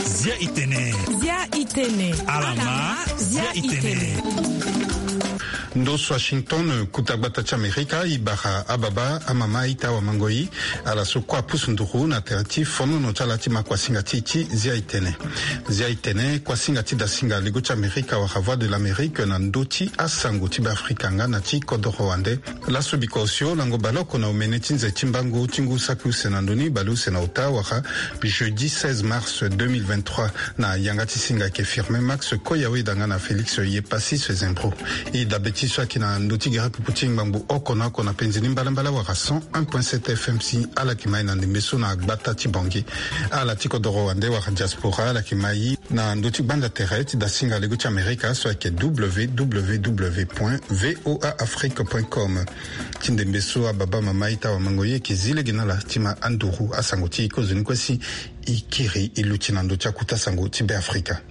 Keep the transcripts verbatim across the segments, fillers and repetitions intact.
Zia itene. Zia itene. Alama. Zia itene. Ndo so Washington, kuta gbata ti Amerika, e bara ababa, amama, aita, awamangoi, ala so kue apusu nduru na tere ti fonono ti ala ti ma kuasinga ti e ti Zia itene. Zia itene, kuasinga ti dasinga lego ti Amerika wala Voix de l'Amérique na ndö ti asango ti Beafrika nga na ti kodoro wande. Laso biko osio lango baleoko na omene ti nze ti mbangu ti ngu saki use na ndoni baleuse na ota wala jeudi seize mars deux mille vingt-trois, na yanga ti singa ayeke Firmin Max Koya Weda nga na Félix Yepassis Zembro. E dabe ti so ayeke na ndö ti gere pupu ti ngbangbo oko na oko na penzi ni mbalambala wala cent un point sept F M si ala yeke ma e na ndembe so na gbata ti Bangui. Ala ti kodoro wande wala diaspora ala yeke ma e na ndö ti gbanda tere ti dasinga lego ti Amerika so ayeke W W W point V O A Afrique point com. Ti ndembe so ababa, mama, aita, awamangoi, e yeke zi lege na ala ti ma anduru asango ti e kozoni kue si e kiri e luti na ndö ti akuta sango ti Beafrika.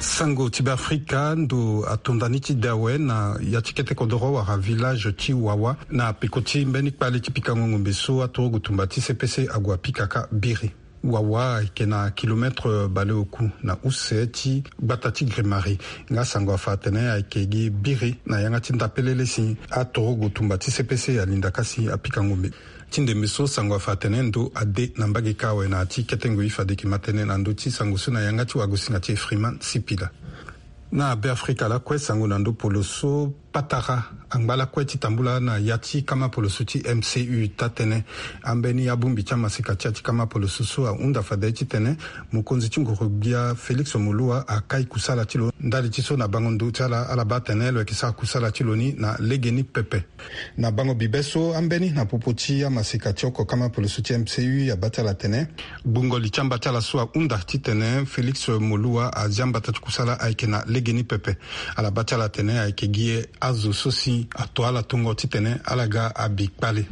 Sango ti Beafrika, ndo atonda ni ti de awe na ya ti kete kodoro wala village ti Wawa na peko ti mbeni kpale ti pikango ngombe so aturugu tumba ti C P C ague apika kâ biri. Wawa ayeke na kilomètre baleoku na use ti gbata ti Grimari. Nga sango afa atene ayeke gi biri na yanga ti ndapelele si aturugu tumba ti C P C alinda kâ si apika ngombe. Ti ndembe so sango afa atene ndo ade na mbage kâ awe na ya ti kete ngoi fade e yeke ma tënë na ndö ti sango so na yanga ti wagosinga ti e Freeman Sipila. Na Beafrika lakue, sango na ndo poloso patara angba lakue ti tambula na ya ti kama poloso ti M C U taa-tënë. Ambeni abongbi ti amaseka ti ya ti kama poloso so ahunda fade ti tene mokonzi ti nguru-gbia Félix Moloua akai kusala ti lo. Ndali ti so na bango ndo ti ala, ala baa atene lo yeke sara kusala ti lo ni na legeni pepe. Na bango bibe so, ambeni na popo ti amaseka ti oko kama poloso ti M C U abaa ti ala atene gbungo li ti amba ti ala so ahunda titene Félix Moloua azia mbata ti kusala ayeke na legeni pepe. Ala baa ti ala atene ayeke gi azo so si ato ala tongo titene ala ga abi kpale.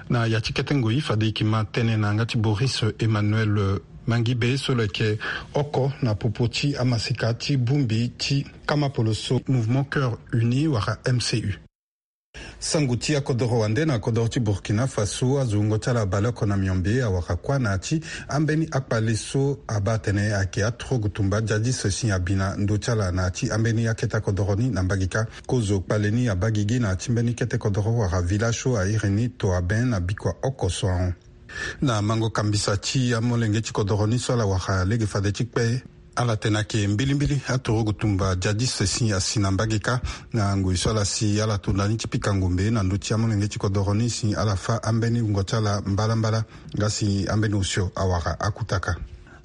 Na ya ti kete ngoi fade e yeke ma tënë na yanga ti Boris Emmanuel Mangibe so lo yeke oko na popo ti amaseka ti bongbi ti kama poloso Mouvement Cœur Uni wala M C U. Sango ti akodoro wande na kodoro ti Burkina Faso, azo wungo ti ala baleoko na miombe awara kuâ na ya ti ambeni akpale so abaa atene ayeke aturugu tumba djadis si abi na ndö ti ala na ya ti ambeni akete akodoro ni na mbage kâ. Kozo kpale ni abaa gigi na ya ti mbeni kete kodoro wala village so a iri ni Toaben na bikua oko so ahon. Na mango kambisa ti amolenge ti kodoro ni so ala wara lege fade ti kpe, ala tene ayeke mbilimbili aturugu tumba djadis si asi na mbage kâ. Na ngoi so ala si ala to ndani ti pika ngombe na ndö ti amolenge ti kodoro ni si ala fâ ambeni wungo ti ala mbalambala, nga si ambeni osio awara akutaka.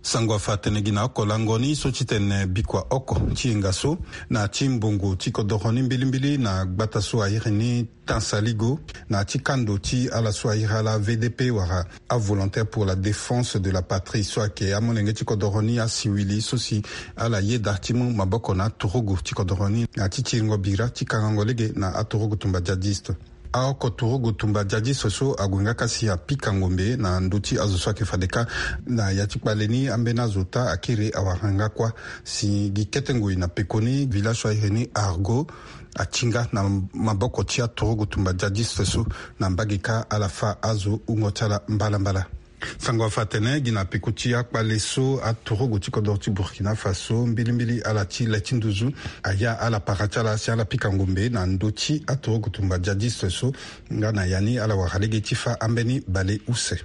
Sango afa atene gi na oko lango ni so titene bikua oko ti yenga so na ya ti mbongo ti kodoro ni mbilimbili na gbata so a iri ni Tansaligo, na ya ti kando ti ala so a iri ala V D P wala a Volontaire pour la Défense de la Patrie so ayeke amolenge ti kodoro ni asiwili so si ala yeda ti mu maboko na aturugu ti kodoro ni na ya ti tiringo bira ti kangango lege na aturugu tumba djadiste. Aoko turugu tumba djadiste so ague nga kâ si apika ngombe na ndö ti azo so ayeke fade kâ. Na ya ti kpale ni ambeni azo ota akiri awara nga kuâ. Si gi kete ngoi na pekoni village so a iri ni Argo ati nga na maboko ti aturugu tumba djadiste so. Na mbage kâ ala fâ azo wungo ti ala mbalambala. Sango afa atene gi na peko ti akpale so aturugu ti kodoro ti Burkina Faso mbilimbili ala ti le ti nduzu aya ala para ti ala si ala pika ngombe na ndö ti aturugu tumba djadiste so. Nga na ya ni ala wara lege ti fâ ambeni baleuse.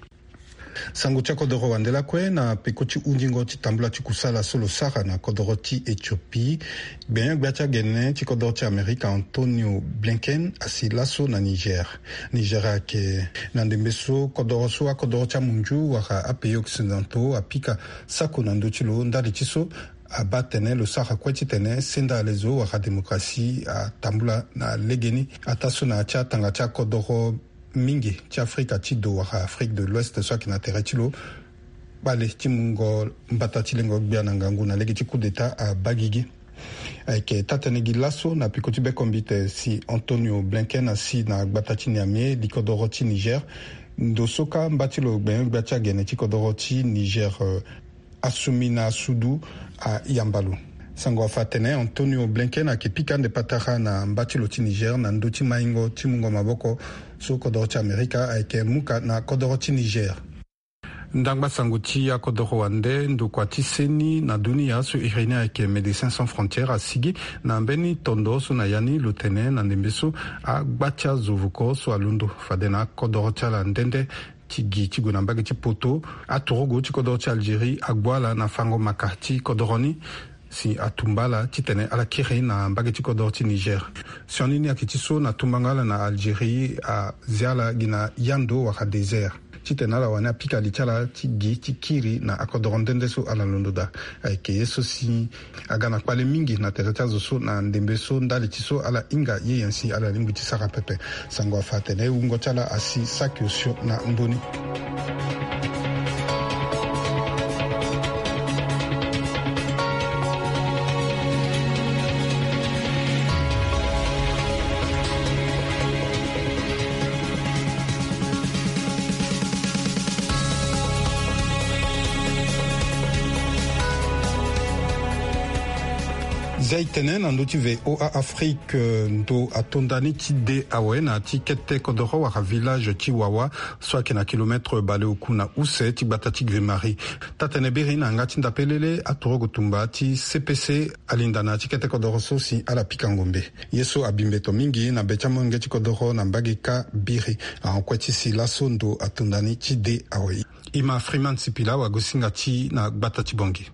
Sango ti akodoro wande lakue na peko ti hundingo ti tambula ti kusala so lo sara na kodoro ti Éthiopie. Gbenyo-gbia ti agene ti kodoro ti Amerika Antonio Blinken asi laso na Niger. Niger ayeke na ndembe so kodoro so akodoro ti amunzu wala apays occidentaux apika sako na ndö ti lo ndali ti so abaa tene lo sara kue titene senda alezo wala démocratie atambula na legeni. Ataa so na ya ti atanga ti akodoro mingi ti Afrika ti do wala Afrique de l'Ouest so ayeke na tere ti lo, kpale ti mungo mbata ti lengo gbia na ngangu na lege ti coup d'État abaa gigi. Ayeke taa-tënë gi laso na peko ti bekombite si Antonio Blinken asi na gbata ti Niamey, li kodoro ti Niger. Ndo so kâ mba ti lo gbenyo-gbia ti agene ti kodoro ti Niger, euh, Assoumina Soudou ayamba lo. Sango afa atene Antonio Blinken ayeke pika ande patara na mba ti lo ti Niger na ndö ti maingo ti mungo maboko so kodoro ti Amerika ayeke muka na kodoro ti Niger. Ndangba sango ti akodoro wande ndokua ti seni na dunia so iri ni ayeke Médecins Sans Frontières asigi na mbeni tondo so na ya ni lo tene na ndembe so agba ti azo vuko so alondo fade na akodoro ti ala nde nde ti gi ti gue na mbage ti poto, aturugu ti kodoro ti Algérie ague ala na fango maka ti kodoro ni si atumba ala titene ala kiri na mbage ti kodoro ti Niger. Sioni ni ayeke ti so na tumbango ala na Algérie azia ala gi na yando wala désert titene ala wani apika li ti ala ti gi ti kiri na akodoro nde nde so ala londo daa. Ayeke ye so si aga na kpale mingi na tere ti azo so na ndembe so ndali ti so ala hinga ye nyen si ala lingbi ti sara pepe. Sango afa atene wungo ti ala asi saki osio na ndö ni. Zia e tene na ndö ti V O A Afrique, ndo atonda ni ti de awe na ti kete kodoro wala village ti Wawa so ayeke na kilomètre baleoku na use ti gbata ti Grimari. Taa-tënë biri na yanga ti ndapelele aturugu tumba ti C P C alinda na ya ti kete kodoro so si ala pika ngombe. Ye so abi mbeto mingi na be ti amolenge ti kodoro na mbage kâ biri ahon kue ti si laso ndo atonda ni ti de awe. E ma Freeman Sipila wagosinga ti na gbata ti Bangui.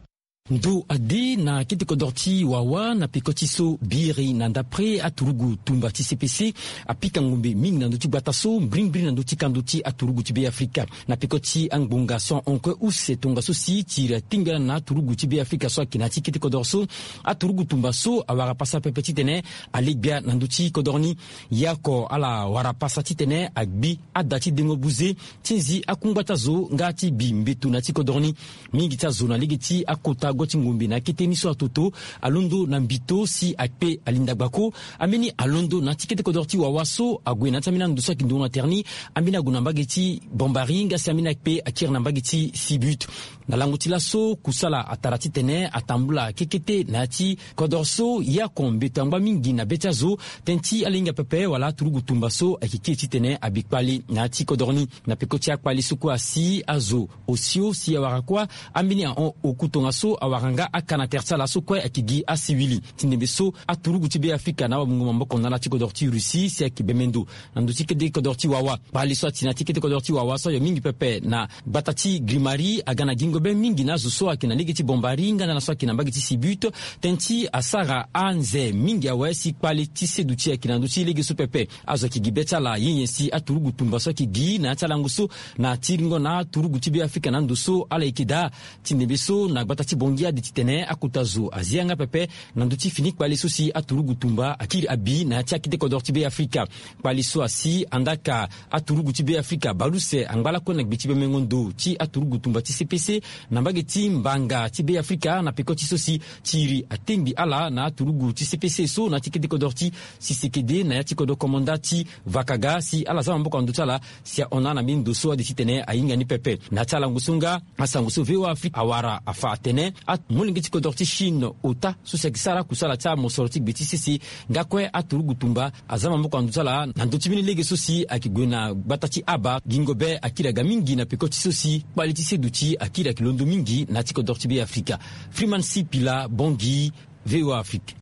Ndo ade na kete kodoro ti Wawa na peko ti so biri na ndapre aturugu tumba ti C P C apika ngombe mingi na ndö ti gbata so, mbirimbiri na ndö ti kando ti aturugu ti Be Afrika. Na peko ti angbonga so ahon kue use tongaso si tiri atingbi ala na aturugu ti Be Afrika so ayeke na ya ti kete kodoro so, aturugu tumba so awara pasa pepe titene alegbia na ndö ti kodoro ni. Ye oko ala wara pasa titene agbi ada ti dengo buze ti nzi akungba ti azo nga ti bi mbeto na ya ti kodoro ni. Mingi ti azo na lege ti akota gua ti ngombe na akete ni so atoto alondo na mbito si akpe alinda gbako. Ambeni alondo na ya ti kete kodoro ti Wawa so ague na ya ti ambeni ando so ayeke ndongo na tere ni. Ambeni ague na mbage ti Bombari nga si ambeni akpe akiri na mbage ti Sibut. Na lango ti laso kusala atara titene atambula kekete na ya ti kodoro so. Ye oko mbeto angba mingi na be ti azo tënë ti ala hinga pepe wala aturugu tumba so ayeke kiri titene abi kpale na ya ti kodoro ni. Na peko ti akpale so kue asi azo osio si awara kuâ, ambeni ahon oku tongaso awara nga aka na tere ti ala so kue ayeke gi asiwili. Ti ndembe so aturugu ti Be Afrika na awamungo maboko na ala ti kodoro ti Russie si ayeke bembe ndo na ndö ti kete kodoro ti Wawa. Kpale so ati na ya ti kete kodoro ti Wawa so ayo mingi pepe na gbata ti Grimari aga na gingo be mingi na azo so ayeke na lege ti Bombari nga na ala so ayeke na mbage ti Sibut. Tënë ti asara anze mingi awe si kpale ti seduti ayeke na ndö ti lege so pepe. Azo ayeke gi be ti ala ye nyen si aturugu tumba so ayeke gi na ya ti alango so na tiringo na aturugu ti Be Afrika na ando so ala yeke daa. Ti ndembe so na gbata ti Bangui ade titene akota zo azi yanga pepe na ndö ti fini kpale so si aturugu tumba akiri abi na ya ti akete kodoro ti Be Afrika. Kpale so asi andaa ka aturugu ti Be Afrika baleuse angba lakue na gbe ti bemengo ndo ti aturugu tumba ti C P C na mbage ti mbanga ti Be Afrika na peko ti so si tiri atengbi ala na aturugu ti C P C so na ya ti kete kodoro ti Sisekede na ya ti kodro komanda ti Vakaga si ala za maboko na ndö ti ala si ahon na ala mbeni ndo so ade titene ahinga ni pepe. Na ya ti alango so nga asango so V O A Afrique awara afa atene amolenge ti kodro ti Chine ota so si ayeke sara akusala ti amosoro ti gbe ti sese nga kue aturugu tumba aza maboko na ndö ti ala na ndö ti mbeni lege so si ayeke gue na gbata ti Aba. Gingo be akiri aga mingi na peko ti so si kpale ti seduti akiri ayeke londo mingi na ya ti kodro ti Be Afrika. Freeman Sipila, Bangui, V O A Afrique.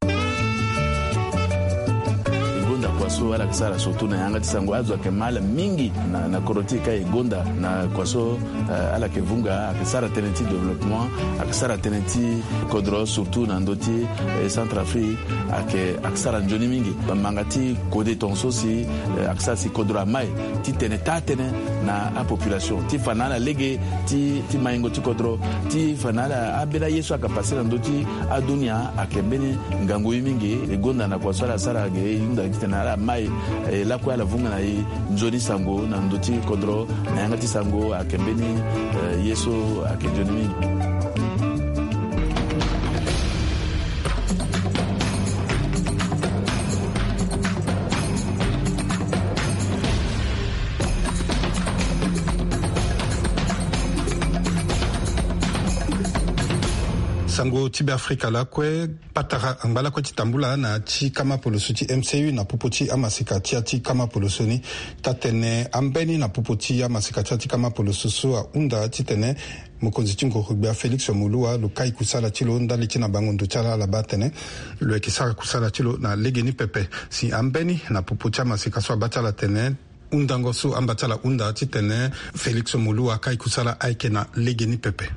E gonda kua so ala yeke sara surtout na yanga ti sango azo ayeke ma ala mingi na, na kodro ti e ka e gonda na kua so, eh, ala yeke vunga ayeke sara tënë ti développement, ayeke sara tënë ti kodro surtout na ndö ti, eh, Centrafrique. Ayeke, ayeke sara nzoni mingi. Manga ti kode tongaso si, eh, ayeke sara si kodro amai titene taa tënë na apopulation ti fa na ala lege ti, ti maingo ti kodro, ti fa na ala ambeni aye so ayeke pase na ndö ti adunia ayeke mbeni ngangu ye mingi. E gonda na kua so ala sara ge e hunda titene ala mai, eh, lakue ala vunga na e nzoni sango na ndö ti kodro na yanga ti sango ayeke mbeni, eh, ye so ayeke nzoni mingi. Sango ti Beafrika lakue, patara angba lakue ti tambula na ya ti kama poloso ti M C U na popo ti amaseka ti ya ti kama poloso ni. Taa-tene ambeni na popo ti amaseka ti ya ti kama poloso so ahunda titene mokonzi ti nguru-gbia Félix Moloua lo kai kusala ti lo ndali ti na bango ndo ti ala, ala baa atene lo yeke sara kusala ti lo na legeni pepe. Si ambeni na popo ti amaseka so abaa ti ala atene hundango so amba ti ala hunda titene Félix Moloua akai kusala ayeke na legeni pepe.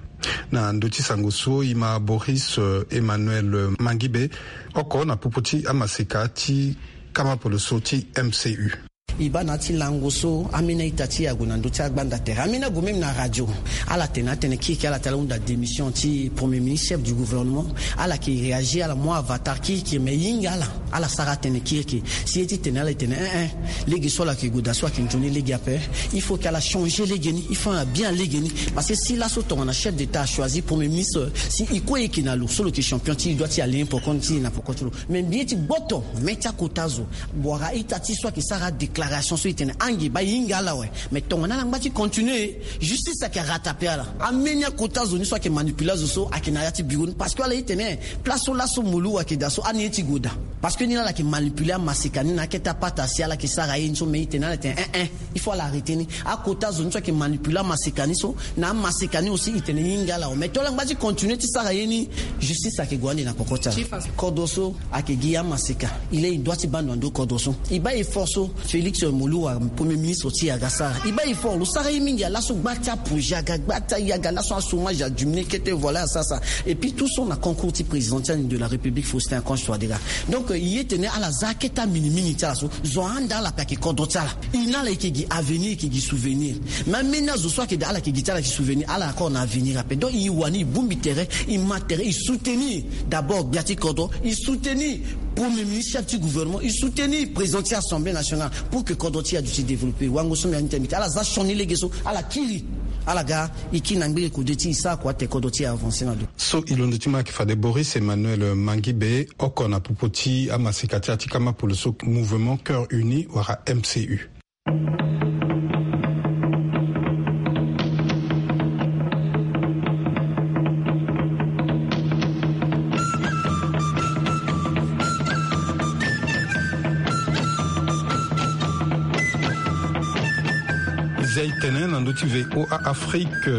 Na ndö ti sango so e ma Boris, euh, Emmanuel, euh, Mangibe, oko na popo ti amaseka ti kama poloso ti M C U. E baa na ya ti lango so ambeni a-ita ti e ague na ndö ti agbanda tere. Ambeni ague même na radio. Ala tene atene kirikiri ala tene ala hunda démission ti Premier ministre, chef du gouvernement. Ala yeke réagir, ala mu avatar kirikiri, mais e hinga ala. Ala sara atene kirikiri. Si ye ti tene ala e tene, eh, eh, lege so ala yeke gue daa so ayeke nzoni lege ape. Il faut que ala changer lege ni, il faut ala bien lege ni. Parce que si laso tongana chef d'État achoisir Premier ministre, si e kue e yeke na lo so lo yeke champion ti e, e doit ti allier poko ti e na poko ti lo. Mais mbi ye ti gboto mê ti akota zo wala a-ita ti e so ayeke sara adéclaration so e tene ange baa e hinga ala awe. Mais tongana ala ngba ti continuer, justice ayeke rattraper ala. Ambeni akota zo ni so ayeke manipuler azo so ayeke na ya ti bureau ni, parce que ala ye ti tene place so laso Moloua ayeke daa so ani ye ti gue daa. Parce que ni laa ala yeke manipuler amaseka ni na akete apata si ala yeke sara ye ni so, mais e tene ala e tene, eh, eh, il faut ala arrêter ni. Akota zo ni so ayeke manipuler amaseka ni so, na amaseka ni aussi e tene e hinga ala awe. Mais tongana ala ngba ti continuer ti sara ye ni, justice ayeke gue ande na poko ti ala. Kodro so ayeke gi amaseka. Il est, e doit ti baa ndo na ndo kodro so. E baa effort so Félix Moloua, Premier ministre ti e, aga sara. E baa effort, lo sara ye mingi. Ala so gba ti aprojet aga, gba ti ayaga, laso achômage adiminué, kete, voilà, asara sara. Et puis tout so na concours ti présidentiel de la République Faustin Archange Touadéra. Donc, euh, e ye ti tene ala za akete amingi mingi ti ala so, zo ahanda ala ape, ayeke kodro ti ala. E na ala e yeke gi avenir, e yeke gi souvenir. Mais ambeni azo so ayeke daa ala yeke gi ti ala gi souvenir, ala encore na avenir ape. Donc e wani e bongbi tere, e ma tere, e soutenir d'abord gbia ti kodro, e soutenir Premier ministre, chef ti gouvernement, e soutenir président ti Assemblée nationale pour que kodro ti e aduti développer. Wango so mbi andi ti mbi ti ala za sioni lege so, ala kiri, ala ga e kiri na ngbele kode ti e, e sara kua ti tene kodro ti e avancer na ndo. So e londo ti ma ayeke fade Boris Emmanuel Mangibe, oko na popo ti amaseka ti ya ti kama poloso Mouvement Cœur Uni wala M C U. Zia e tene na ndö ti V O A Afrique,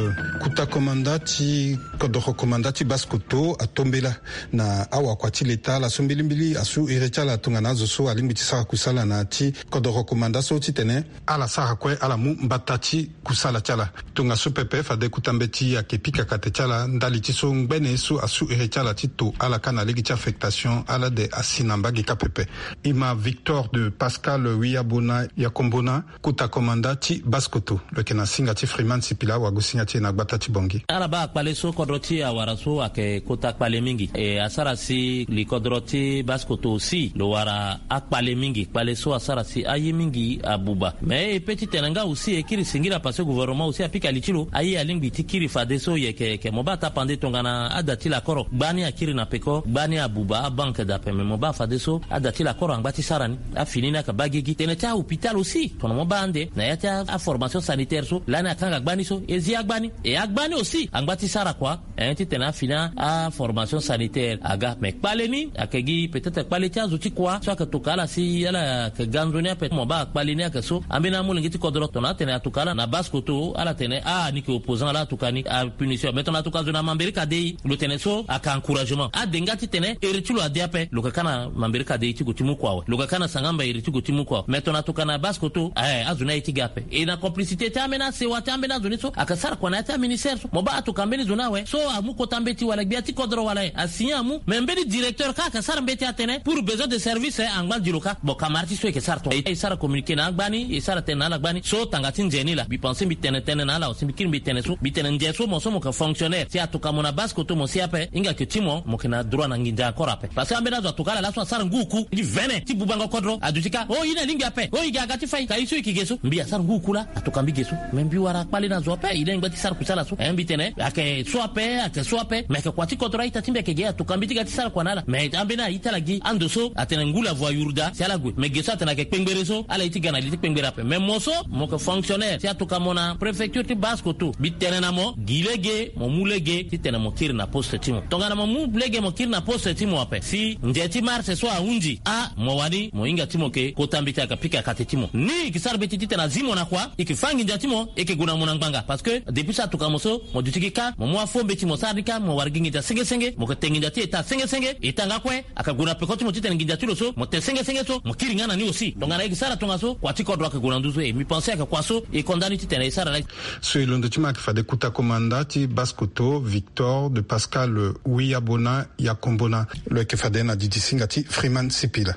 kota komanda ti kodoro komanda ti Basse-Kotto atombela na awakua ti leta ala so mbilimbili asu iri ti ala tongana azo so alingbi ti sara kusala na ya ti kodoro komanda so titene ala sara kue ala mu mbata ti kusala ti ala. Tongaso pepe fade kota mbeti ayeke pika kate ti ala ndali ti so ngbene so asu iri ti ala ti to ala kâ na lege ti affectation, ala de asi na mbage kâ pepe. E ma Victor de Pascal Wiyabona Yakombona, kota komanda ti Basse-Kotto, lo yeke na singa ti Freeman Sipila, wagosinga ti e na gbata ti Bangui. Ala baa akpale so kodro ti e awara so ayeke kota kpale mingi. E asara si li kodro ti Basse-Kotto aussi lo wara akpale mingi. Kpale so asara si aye mingi abuba. Mais e pe ti tene nga aussi e kiri singila parce que gouvernement aussi apika li ti lo. Aye alingbi ti kiri fadeso yeke yeke. Mo baa tapande tongana ada ti lakoro gbani akiri na peko, gbani abuba, abanke dape. Mais mo baa fadeso ada ti lakoro angba ti sara ni. Afini ni ayeke baa gigi. Tene ti ahôpital aussi, tongana mo baa ande na ya ti aformation sanitaire so lani akanga gbani so, e zi agbani. E agbani aussi angba ti sara kua. Hein, titene afini aformation sanitaire aga. Mais kpale ni ayeke gi peut-être kpale ti azo ti kua so ayeke toka ala si ala yeke ga nzoni ape. Mo baa kpale ni ayeke so, ambeni amolenge ti kodro tongana atene atuka ala na Basse-Kotto, ala tene ah ni yeke opposant, ala atuka ni, apunition. Mais tongana atuka zo na Mambéré Kadéï, lo tene so ayeke encouragement. Ade nga titene iri ti lo ade ape, lo yeke kâ na Mambéré Kadéï ti gue ti mu kua awe. Lo yeke kâ na Sangamba iri ti gue ti mu kua awe. Mais tongana atuka na Basse-Kotto, eh, azo ni aye ti ga ape. E na complicité ti ambeni asewa ti ambeni azo ni so ayeke sara kua na ya ti aministère so. Mo baa atuka mbeni zo ni awe so amu kota mbeti wala gbia ti kodro wala e asigné amu. Mais mbeni directeur kâ ayeke sara mbeti atene pour besoin de service, eh, angba gi lo kâ. Bon, camarade ti so e yeke sara tonga e sara communiqué na agbani, e sara tënë na ala gbani so tanga ti nze ni laa. Mbi pense mbi tene tënë na ala aussi, mbi kiri mbi tene so, mbi tene nze so mo so mo yeke fonctionnaire si atuka mo na Basse-Kotto mo si ape, hinga yeke ti mo, mo yeke na droit na nginza encore ape. Parce que ambeni azo atuka ala laso asara ngu oku ti vene ti bubango kodro, aduti kâ oh ye ni alingbi ape, oh e ga aga ti fai ka ye so e yeke ge so. Mbi asara ngu oku laa. Tokambi ge so, me mbi wara kpale na zo ape, e lingbi ti sara kusala so. Eh, mbi tene ayeke so ape, ayeke so ape, me ayeke kua ti kodro a-ita ti mbi ayeke ge, atokambi ti ga ti sara kua na ala. Me ambeni a-ita ala gi ando so atene ngu lavo ayuru daa si ala gue. Me ge so atene ayeke kpengbere so, ala ye ti ga na li ti kpengbere ape. Me mo so mo yeke fonctionnaire si atoka mo na préfecture ti Basse-Kotto, mbi tene na mo, gi lege, mo mu lege titene mo kiri na poste ti mo. Tongana mo mu lege mo kiri na poste ti mo ape, si nze ti marche so ahunzi, a mo wani mo hinga ti mo ke kota mbeti aga pika kate ti mo. Ni e ke sara mbeti titene azi mo na kua, e ke fâ nginza ti mo, e ke gue na mo na ngbanga. Parce que depuis so atoka mo so, mo duti gi kâ, mo mu afo mbeti mo sara ni kâ, mo wara gi nginza senge senge, mo ke te nginza ti eta senge senge, eta nga kue, ayeke gue na peko ti mo titene nginza ti lo so mo te senge senge so mo kiri nga na ni aussi. Tongana e ke sara tongaso, kua ti kodro ayeke gue na nduzu. E mbi pense ayeke kua so e konda ni titene e sara laa. So e londo ti mo ayeke fade kota komanda ti Basse-Kotto, Victor de Pascal Wiyabona Yakombona. Lo yeke fade na didi singa ti Freeman Sipila.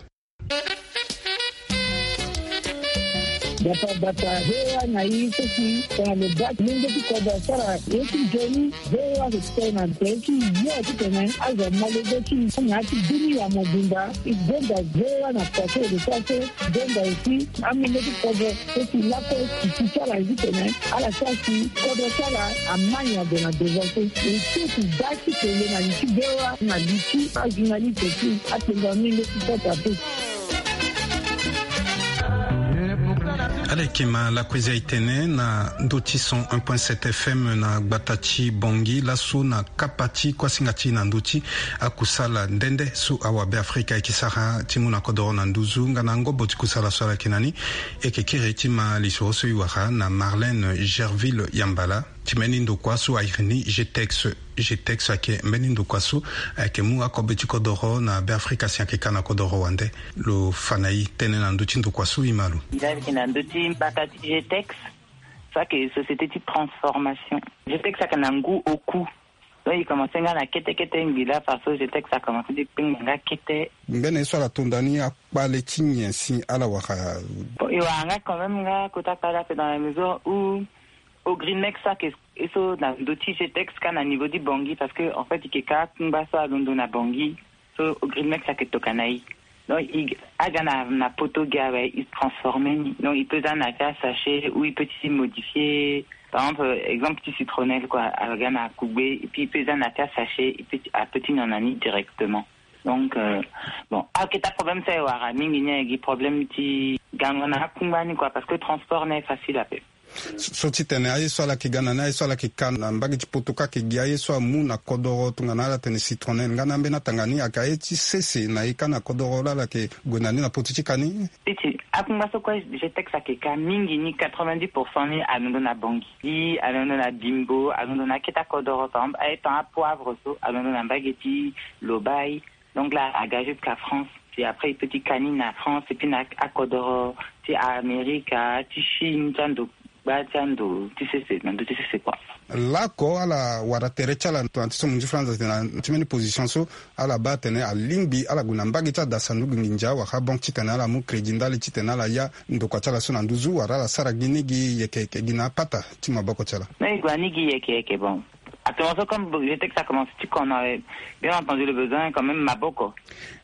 Bata bata he wa na i so si tongana lo baa ti lenge ti kodro asara ye ti nzoni. Ve wa so ti tene na nze ti yo titene azo amolenge ti na ya ti bini ya mobimba. E gonda ve wa na kua so e lo sara so. E gonda aussi amolenge ti kodro so si lakue ti ti ti ala titene ala sara si kodro ti ala ama nyon gue na devant so. E so ti baa ti tene na li ti ve wa na li ti ajournaliste ti akpengba mingi ti kota pe. Ala yeke ma lakuezi aye tene na ndö ti cent un point sept F M na gbata ti Bangui laso na kapa ti kuasinga ti na ndö ti akusala nde nde so awabe Afrika ayeke sara ti mu na kodoro na nduzu nga na ngobo ti kusala so ala yeke na ni. E yeke kiri ti ma lisoro so e wara na Marlène Gerville Yambala. Ti mbeni ndokua so a iri ni G T E X. G T E X ayeke mbeni ndokua so ayeke mu akobe ti kodoro na Beafrika si ayeke ka na kodoro wande. Lo fa na e tënë na ndö ti ndokua so e ma lo. Nzoni ayeke na ndö ti mbata ti G T E X, so ayeke société ti transformation. G T E X ayeke na ngu oku. Donc e commencé nga na kete kete ngbi la parce que G T E X a commencé ti kpengba nga kete. Mbeni ye so ala tonda ni akpale ti nyen si ala wara? Bon, e wara nga quand même nga kota kpale ape dans la mesure où Ogrimex so ayeke e so na ndö ti G T E X ka na niveau ti Bangui, parce que en fait e yeke ka akungba so alondo na Bangui. So Ogrimex ayeke toka na e. Donc e aga na, na poto gi awe, e transformer ni. Donc e peut za na ti asachet ou e peut ti modifier. Par exemple, exemple ti citronnelle quoi, aga na kugbe et puis e peut za na ti asachet, e peut ti, a peut ti nyon na ni directement. Donc euh, bon, aketa problème so e wara mingi ni ayeke gi problème ti gango na akungba ni quoi, parce que transport ni aye facile ape. So ti tene aye so ala yeke ga na ni, aye so ala yeke ka na mbage ti poto kâ ayeke gi aye so amu na kodoro tongana ala tene citronnelle nga na ambeni atanga ni, ayeke aye ti sese na e kâ na kodoro laa ala yeke gue na ni na poto ti ka ni? Ti ti akungba so kue G T E X ayeke ka mingi ni, quatre-vingt-dix pour cent ni alondo na Bangui, alondo na Bimbo, alondo na aketa kodoro, par exemple aye tan apoivre so alondo na mbage ti Lobaye. Donc là aga jusqu'à France, puis après e peut ti ka ni na France et puis na akodoro ti Amerika, ti Chine, ti ando gba ti ando ti sese, na ndo ti sese quoi. Laoko ala wara tere ti ala tongana ti so mo nzi flanza tene na ti mbeni position so ala baa atene alingbi ala gue na mbage ti ada sanduku nginza wala banque titene ala mu crédit ndali titene ala ya ndokua ti ala so na nduzu wala ala sara gi ni gi yeke yeke gi na apata ti maboko ti ala? Non, e gue na ni gi yeke yeke, bon. Actuellement so comme G T E X a commencé ti kono, bien entendu le besoin quand même maboko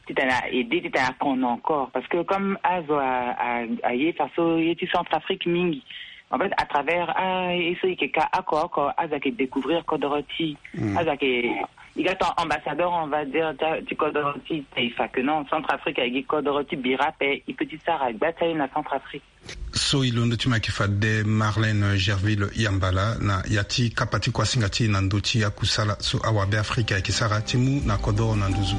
titene a aider, titene a kono encore, parce que comme azo a, a, aye faso ye ti Centrafrique mingi. En fait à travers a ye so e yeke ka oko oko azo ayeke découvrir kodoro ti e. Azo ayeke, e ga ton ambassadeur on va dire ti kodoro ti taifa, que non, Centrafrique ayeke gi kodoro ti bira ape, e peut ti sara gba ti aye na Centrafrique. So e londo ti mo ayeke fade Marlène Gerville Yambala na ya ti kapa ti kuasinga ti e na ndö ti akusala so awabe Afrika ayeke sara ti mu na kodoro na nduzu.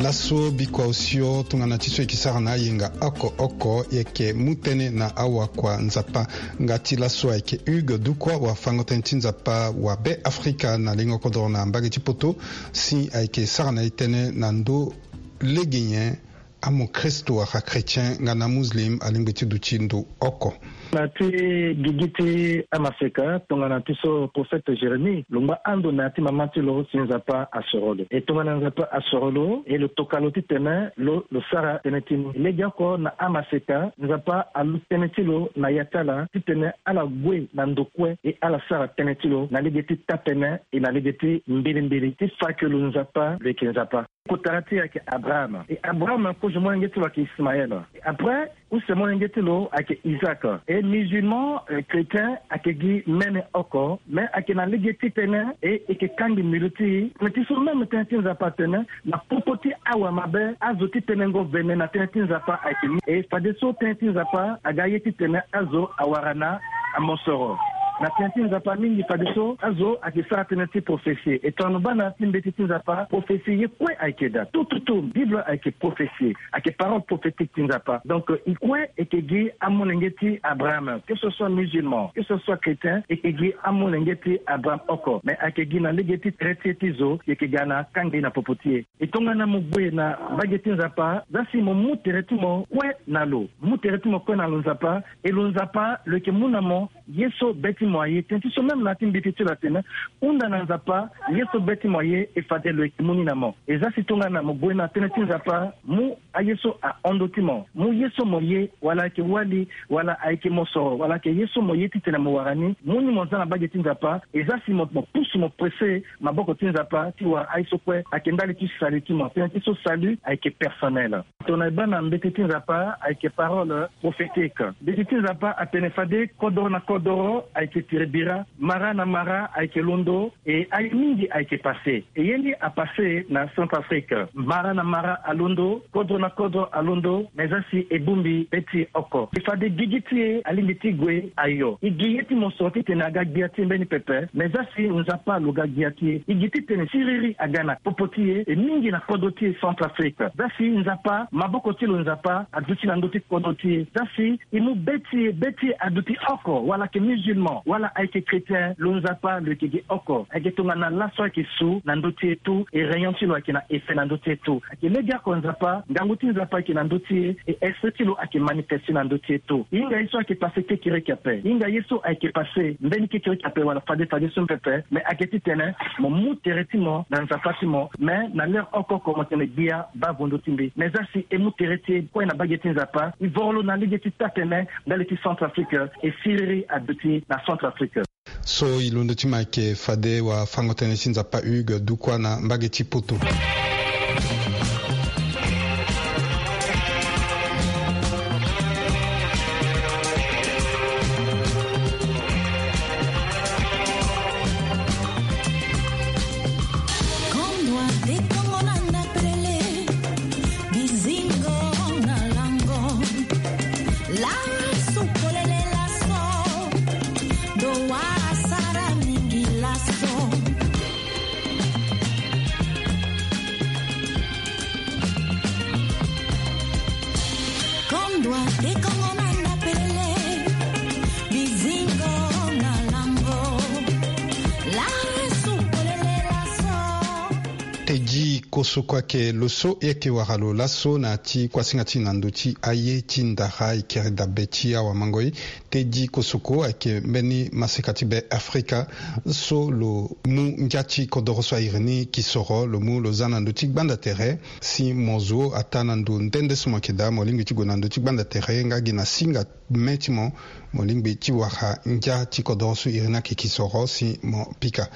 Laso bikua osio tongana ti so e yeke sara na ayenga oko oko, e yeke mu tënë na awakua Nzapa. Nga ti laso ayeke Hugues Dukwa, wafango-tënë ti Nzapa wa Be Afrika na lengo kodoro na mbage ti poto, si ayeke sara na e tënë na ndö lege nyen amokristo wala chrétien nga na muslim alingbi ti duti ndo oko. Na ti gigi ti amaseka tongana ti so prophète Jérémie lo ngba ando na ya ti mama ti lo si Nzapa asoro lo. E tongana Nzapa asoro lo e lo toka lo titene lo lo sara tënë ti ni. Legeoko na amaseka Nzapa alu tënë ti lo na ya ti ala titene ala gue na ndo kue e ala sara tënë ti lo na lege ti tapene e na lege ti mbilimbili ti fa ke lo Nzapa lo yeke Nzapa. Kotara ti e ayeke Abraham. E Abraham kozo molenge ti lo ayeke Ismaël. E après use molenge ti lo ayeke Isaac. E musulman, eh, chrétien ayeke gi mene oko, mais ayeke na lege ti tene e yeke kangbi mbilu ti e. Me ti so même tënë ti Nzapa atene na popo ti awa mabe azo ti tenengo vene na tënë ti Nzapa ayeke ni. E fadeso tënë ti Nzapa aga ye titene azo awara na amosoro. Na tënë ti Nzapa mingi fadeso azo ayeke sara tënë ti prophétie. E tongana lo baa na ya ti mbeti ti Nzapa prophétie ye kue ayeke daa. Tout, tout, tout, Bible ayeke prophétie. Ayeke parole prophétique ti Nzapa. Donc, eh, e kue e yeke gi amolenge ti Abraham. Que ce soit musulman, que ce soit chrétien, e yeke gi amolenge ti Abraham oko. Mais ayeke gi na lege ti tere ti e ti zo, e yeke ga na kangbi na popo ti e. E tongana mo gue na mbage ti Nzapa, zia si mo mu tere ti mo kue na lo. Mu tere ti mo kue na lo Nzapa, e lo Nzapa lo yeke mu na mo ye so be ti mo aye. Tënë ti so même na ya ti mbeti ti lo atene, hunda na Nzapa ye so be ti mo aye, e fade lo yeke mu ni na mo. E zia si tongana mo gue na tënë ti Nzapa, mu aye so ahon ndö ti mo, mu ye so mo ye, wala ayeke wali, wala ayeke mosoro, wala ayeke ye so mo ye titene mo wara ni, mu ni mo zia na mbage ti Nzapa. E zia si mo, mo pusu mo presse maboko ti Nzapa ti wara aye so kue ayeke ndali ti salut ti mo. Tënë ti so salut ayeke personnel. Tongana e baa na mbeti ti Nzapa ayeke parole prophétique. Mbeti ti Nzapa atene fade kodoro na kodoro ayeke tiri bira, mara na mara ayeke londo. E aye mingi ayeke passé. E ye ni apassé na Centrafrique. Mara na mara alondo, kodro na kodro alondo, mais zia si e bongbi be ti e oko. E fade gigi ti e alingbi ti gue ayo. E gi ye ti mosoro titene aga gbia ti e mbeni pepe, mais zia si Nzapa lo ga gbia ti e. E gi titene siriri aga na popo ti e, e mingi na kodro ti e Centrafrique. Zia si Nzapa, maboko ti lo Nzapa aduti na ndö ti kodro ti e. Zia si e mu be ti e, be ti e aduti oko, wala ayeke musulman, wala ayeke chrétien, lo Nzapa lo yeke gi oko. Ayeke tongana laso ayeke su na ndö ti e tout, e rayon ti lo ayeke na effet na ndö ti e tout. Ayeke legeoko Nzapa, ngangu ti Nzapa ayeke na ndö ti e, e esprit ti lo ayeke manifesté na ndö ti e tout. E hinga ye so ayeke passé kekereke ape. E hinga ye so ayeke passé mbeni kekereke ape wala fade fadeso pepe, mais ayeke titene mo mu tere ti mo na Nzapa ti mo, mais na l'heure oko oko mo tene gbia baa vo ndö ti mbi. Mais zia si e mu tere ti e kue na mbage ti Nzapa, e voro lo na lege ti taa tene ndali ti Centrafrique, e siriri aduti na Centrafrique. So e londo ti mo ayeke fade wafango-tënë ti Nzapa Hugues Dukwa na mbage ti Poto. Kondwa te kongo na ndapelele, bizingo na lango. Lasu polele laso, do wa sara mingi laso. Kondwa te kongo na ndapelele, bizingo na lango. Lasu polele laso. Teddy Kosoko ayeke lo so e yeke wara lo laso na ya ti kuasinga ti na ndö ti aye ti ndara e kiri dabe ti awamango-e. Teddy Kosoko ayeke mbeni maseka ti Be Afrika so lo mu ngia ti kodoro so a iri ni kisoro, lo mu lo za na ndö ti gbanda tere. Si mo zo ataa na ndo nde nde so mo yeke daa, mo lingbi ti gue na ndö ti gbanda tere nga gi na singa me ti mo, mo lingbi ti wara ngia ti kodoro so iri ni ayeke kisoro si mo pika.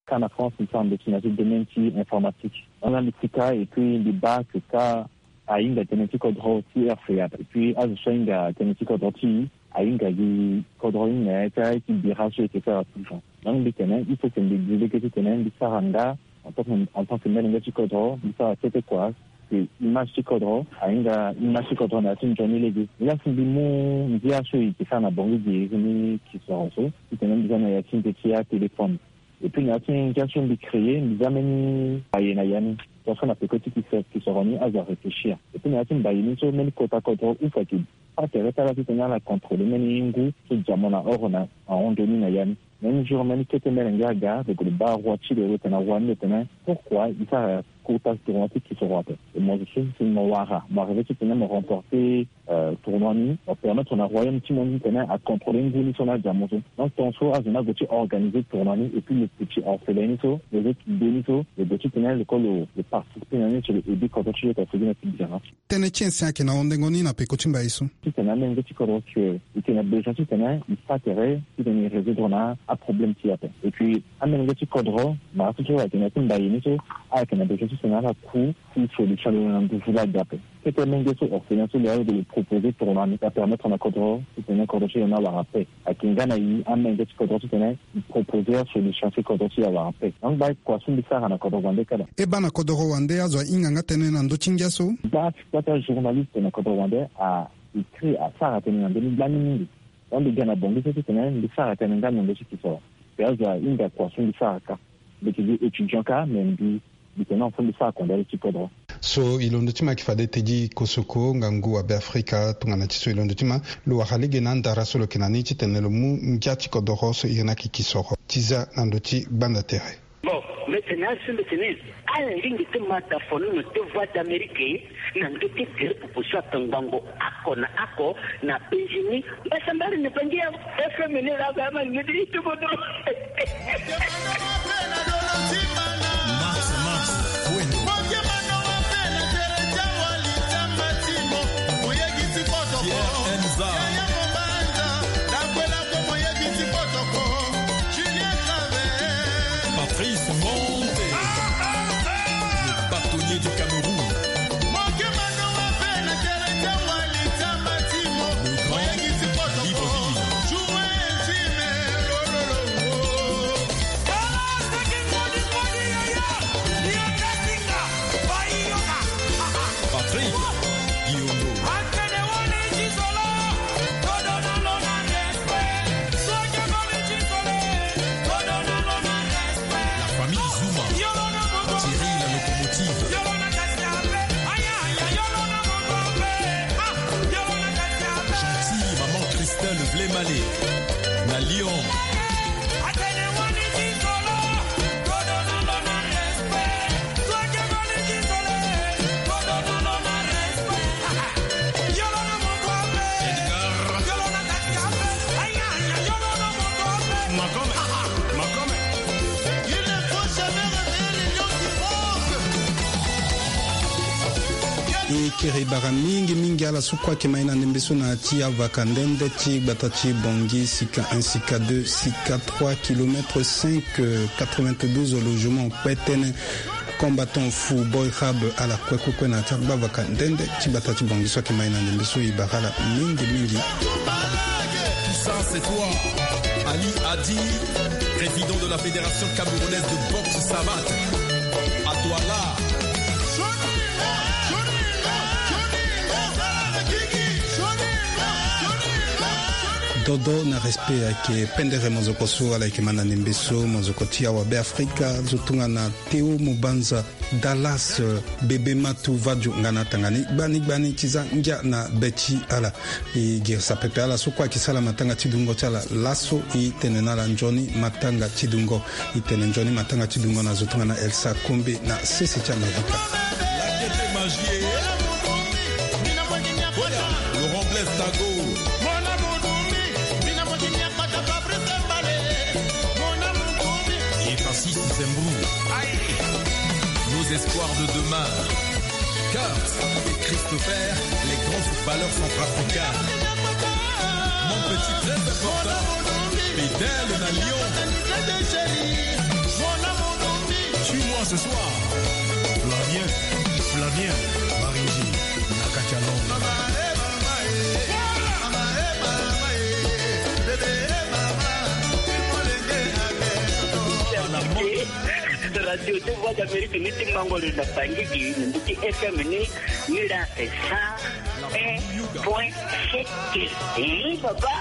Ka na France, mbi sara ndo ti na ya ti domaine ti informatique. Nga mbi pika et puis mbi baa que ka ahinga tënë ti kodro ti R F A. Et puis azo so ahinga tënë ti kodro ti e ahinga gi kodro ni na ya ti aye ti bira so e yeke sara toujours. Donc mbi tene il faut que mbi zi lege titene mbi sara nga en tant que, en tant que molenge ti kodro, mbi sara kete kua que image ti kodro ahinga image ti kodro na ya ti nzoni lege. Nilaa si mbi mu ngia so e yeke sara na Bangui gi iri ni kisoro so, titene mbi za na ya ti nze ti atéléphone. Et puis na ya ti ngia so mbi créé, mbi za mbeni baye na ya ni. Tongaso na peko ti kise-, kisoro ni azo aréfléchir. Et puis na ya ti mbaye ni so mbeni kota kodro use ayeke baa tere ti ala titene ala contrôler mbeni ngu so dia mo na oro na ahon nzoni na ya ni. Même jour mbeni kete molenge aga, donc lo baa roi ti lo, lo tene na roi ni, lo tene pourquoi e sara kota tournoi ti kisoro ape. Et mo zo so si mo wara, mo arrivé titene mo remporter euh, tournoi ni, apermettre na royaume ti mo ni titene acontrôler ngu ni so na diamant so. Donc tongaso azo ni ague ti organiser tournoi ni, et puis lo petit orphelin ni so, lo zo ti be ni so, lo gue titene lo kue lo, lo participer na ni so lo aider kodro ti lo ta sigi na ti biana. Tënë ti ensin ayeke na hondengo ni na peko ti mbai so. Titene amenge ti kodro si e yeke na besoin titene e sara tere titene e résoudre na aproblème ti e ape. Et puis amenge ti kodro, mara so so ayeke na ya ti mbai ni so, ayeke na besoin titene ala ku ti solution lo na nduzu laa ga ape. Kete menge so orphelin so lo aye lo proposer tournoi ni, apermettre na kodro titene kodro ti lo ni awara paix. Ayeke nga na e amenge ti kodro titene e proposer solution si kodro ti e awara paix. Donc mbai kua so mbi sara na kodro wande kala. E baa na kodro wande azo ahinga nga tënë na ndö ti ngia so. Baa ti kua ti ajournaliste na kodro wande a écrit asara tënë na ndö ni gbani mingi. Donc mbi ga na Bangui so titene mbi sara tënë nga na ndö ti kisoro. Pe azo ahinga kua so mbi sara kâ. Mbi yeke gi étudiant kâ, mais mbi, mbi tene na fo mbi sara kondale ti kodro. So e londo ti ma ayeke fade e te gi kosoko ngangu abeafrika tongana ti so e londo ti ma lo wara lege na andara so lo yeke na ni titene lo mu ngia ti kodoro so iri ni ayeke kisoro ti za na ndö ti gbanda tere. Bon, mbi tene azo so mbi tene ala lingbi ti ma da fonono ti Voix d'Amérique na ndö ti tere popo so akangbango oko na oko na penzi ni. Mbasambala ni bangi ya F M ni laa ga ma ngedi ti bodo. Max, Max, Wendo. Pierre Enza. Patrice Monte. Le bâtonnier du Cameroun. Le grand Libreville. Patrick Guillaume. La famille Zuma, Thierry la locomotive. Gentille maman Christelle Vlemale, na Lyon. E kiri bara mingi mingi ala so kue ayeke ma ye na ndembe so na ya ti avaka ndende ti gbata ti Bangui, sika un, sika deux, sika trois kilomètres cinq, euh, quatre-vingt-douze logements kpe tënë. Combattant Fou Boy Rab ala kue kue kue na ya ti agbavaka ndende ti gbata ti Bangui so ayeke ma ye na ndembe so e bara ala mingi mingi. Tout ça, c'est toi. Ali Adi, président de la Fédération camerounaise de boxe savate. À toi là. Dodo na respect ayeke pendere mozoko so ala yeke ma na ndembe so, mozoko ti awa Beafrika, zo tongana Théo Mubanza, Dallas, euh, Bébé Matou Vadio nga na atanga ni gbani gbani ti za ngia na be ti ala. E girisa pepe ala so kue ayeke sara matanga ti dungo ti ala laso, e tene na ala nzoni matanga ti dungo. E tene nzoni matanga ti dungo na zo tongana Elsa Kombe na sese ti Amerika. Laurent Blaise Tago. Et Francis Zembrou. Nos espoirs de demain. Kurt et Christopher, les grands footballeurs centrafricains. Mon petit, très important. Fidèle na Lyon. Suis-moi ce soir. Flavien, Flavien Maringi. Na kati ya Londres. Radio de Voix d'Amérique ni ti mango lo na Bangui gi ni ti F M ni, ni la sa un point sept. Eh, papa.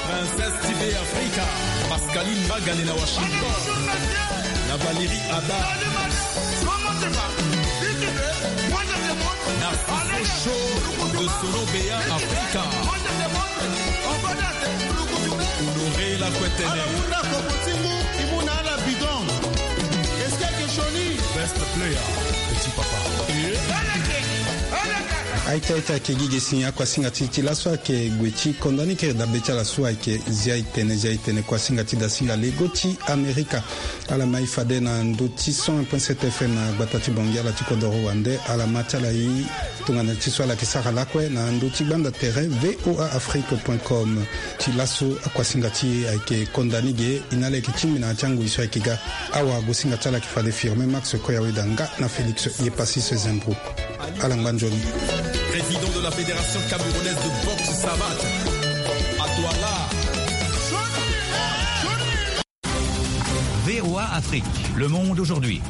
Princesse T V Africa, Pascaline Magane na Washington, na Valérie Ada, na Soso Show de Solo Bea Africa. Honoré la Kwetene. Ala wunda kopo ti ngu, e mu na ala bidon. Est-ce que ayeke sioni? Best player, petit papa. Aita aita ayeke gi ge si akuasinga ti ti laso ayeke gue ti konda ni kiri dabe ti ala so ayeke zia etene zia etene kuasinga ti dasinga lego ti Amerika. Ala mai fade na ndö ti cent un point sept F M na gbata ti Bangi ala ti kodoro wande ala ma ti ala ye. Tongana ti so ala yeke sara lakue na ndö ti gbanda tere V O A Afrique point com. Ti laso akuasinga ti e ayeke konda ni ge. E na ala yeke tingbi na ya ti angoi so ayeke ga. Awagosinga ti ala yeke fade Firmin Max Koyaweda nga na Félix Yepassis Zembro. Ala ngba nzoni. Président de la Fédération camerounaise de boxe savate, à toi là. V O A Afrique, le monde aujourd'hui.